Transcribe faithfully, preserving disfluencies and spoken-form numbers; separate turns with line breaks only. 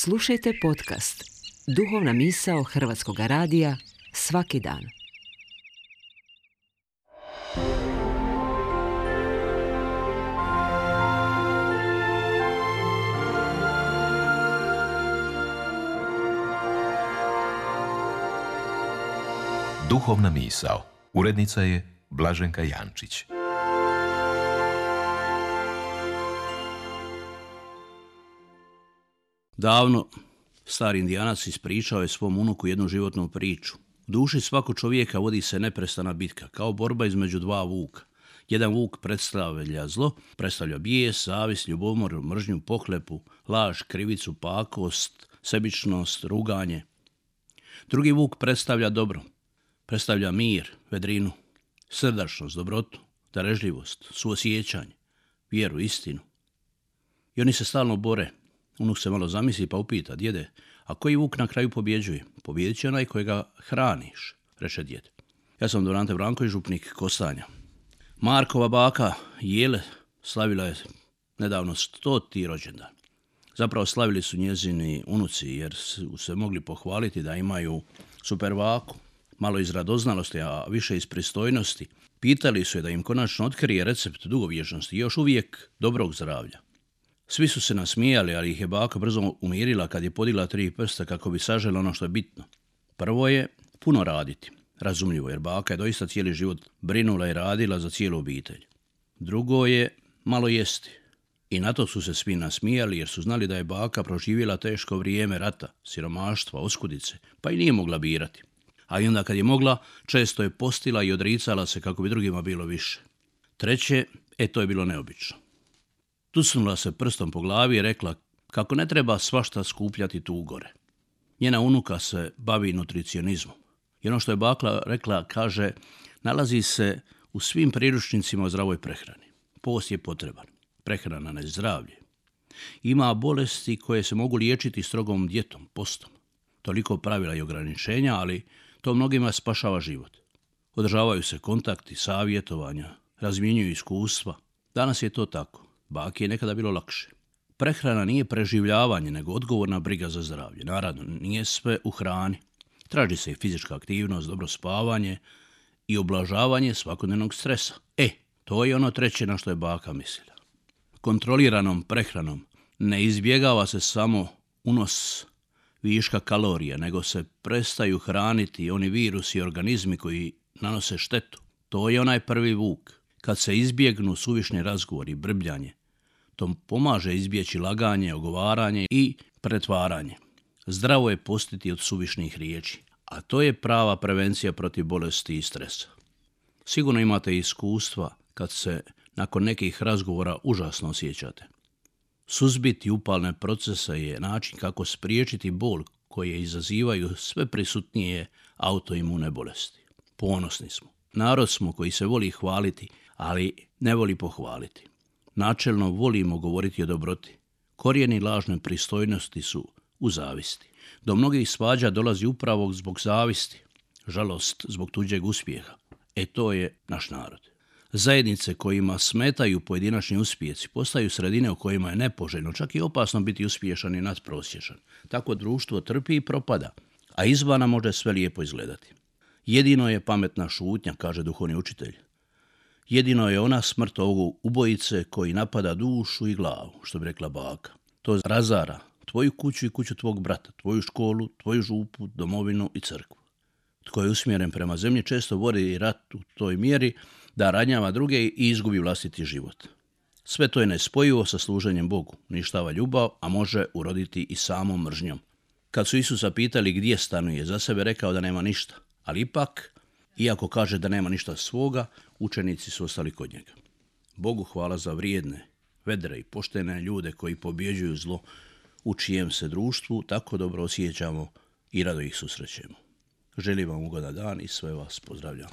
Slušajte podcast Duhovna misao Hrvatskog radija svaki dan.
Duhovna misao. Urednica je Blaženka Jančić.
Davno stari Indijanac ispričao je svom unuku jednu životnu priču. U duši svakog čovjeka vodi se neprestana bitka, kao borba između dva vuka. Jedan vuk predstavlja zlo, predstavlja bijes, zavist, ljubomor, mržnju, pohlepu, laž, krivicu, pakost, sebičnost, ruganje. Drugi vuk predstavlja dobro, predstavlja mir, vedrinu, srdačnost, dobrotu, darežljivost, suosjećanje, vjeru, istinu. I oni se stalno bore. Unuk se malo zamisli pa upita: djede, a koji vuk na kraju pobjeđuje? Pobjedit će onaj kojega hraniš, reče djed. Ja sam Dorante Branković, župnik Kostanja. Markova baka Jele slavila je nedavno stoti rođendan. Zapravo slavili su njezini unuci jer su se mogli pohvaliti da imaju super vaku. Malo iz radoznalosti, a više iz pristojnosti. Pitali su je da im konačno otkrije recept dugovječnosti i još uvijek dobrog zdravlja. Svi su se nasmijali, ali ih je baka brzo umirila kad je podigla tri prsta kako bi sažela ono što je bitno. Prvo je puno raditi. Razumljivo, jer baka je doista cijeli život brinula i radila za cijelu obitelj. Drugo je malo jesti. I na to su se svi nasmijali jer su znali da je baka proživjela teško vrijeme rata, siromaštva, oskudice, pa i nije mogla birati. A i onda kad je mogla, često je postila i odricala se kako bi drugima bilo više. Treće, e to je bilo neobično. Tucnula se prstom po glavi i rekla kako ne treba svašta skupljati tu gore. Njena unuka se bavi nutricionizmom. I ono što je baka rekla, kaže, nalazi se u svim priručnicima o zdravoj prehrani. Post je potreban. Prehrana ne zdravlje. Ima bolesti koje se mogu liječiti strogom dijetom, postom. Toliko pravila i ograničenja, ali to mnogima spašava život. Održavaju se kontakti, savjetovanja, razmjenjuju iskustva. Danas je to tako. Baki je nekada bilo lakše. Prehrana nije preživljavanje, nego odgovorna briga za zdravlje. Naravno, nije sve u hrani. Traži se i fizička aktivnost, dobro spavanje i oblažavanje svakodnevnog stresa. E, to je ono treće na što je baka mislila. Kontroliranom prehranom ne izbjegava se samo unos viška kalorija, nego se prestaju hraniti oni virusi i organizmi koji nanose štetu. To je onaj prvi vuk. Kad se izbjegnu suvišni razgovori i brbljanje, to pomaže izbjeći laganje, ogovaranje i pretvaranje. Zdravo je postiti od suvišnih riječi, a to je prava prevencija protiv bolesti i stresa. Sigurno imate iskustva kad se nakon nekih razgovora užasno osjećate. Suzbiti upalne procese je način kako spriječiti bol koje izazivaju sve prisutnije autoimune bolesti. Ponosni smo. Narod smo koji se voli hvaliti, ali ne voli pohvaliti. Načelno volimo govoriti o dobroti. Korijeni lažne pristojnosti su u zavisti. Do mnogih svađa dolazi upravo zbog zavisti, žalost zbog tuđeg uspjeha. E to je naš narod. Zajednice kojima smetaju pojedinačni uspjesi postaju sredine u kojima je nepoželjno, čak i opasno biti uspješan i nadprosječan. Tako društvo trpi i propada, a izvana može sve lijepo izgledati. Jedino je pametna šutnja, kaže duhovni učitelj. Jedino je ona smrt ovog ubojice koji napada dušu i glavu, što bi rekla baka. To razara tvoju kuću i kuću tvog brata, tvoju školu, tvoju župu, domovinu i crkvu. Tko je usmjeren prema zemlji često vodi rat u toj mjeri da ranjava druge i izgubi vlastiti život. Sve to je nespojivo sa služenjem Bogu, uništava ljubav, a može uroditi i samom mržnjom. Kad su Isusa pitali gdje stanuje, za sebe rekao da nema ništa, ali ipak, iako kaže da nema ništa svoga, učenici su ostali kod njega. Bogu hvala za vrijedne, vedre i poštene ljude koji pobjeđuju zlo, u čijem se društvu tako dobro osjećamo i rado ih susrećemo. Želim vam ugodan dan i sve vas pozdravljam.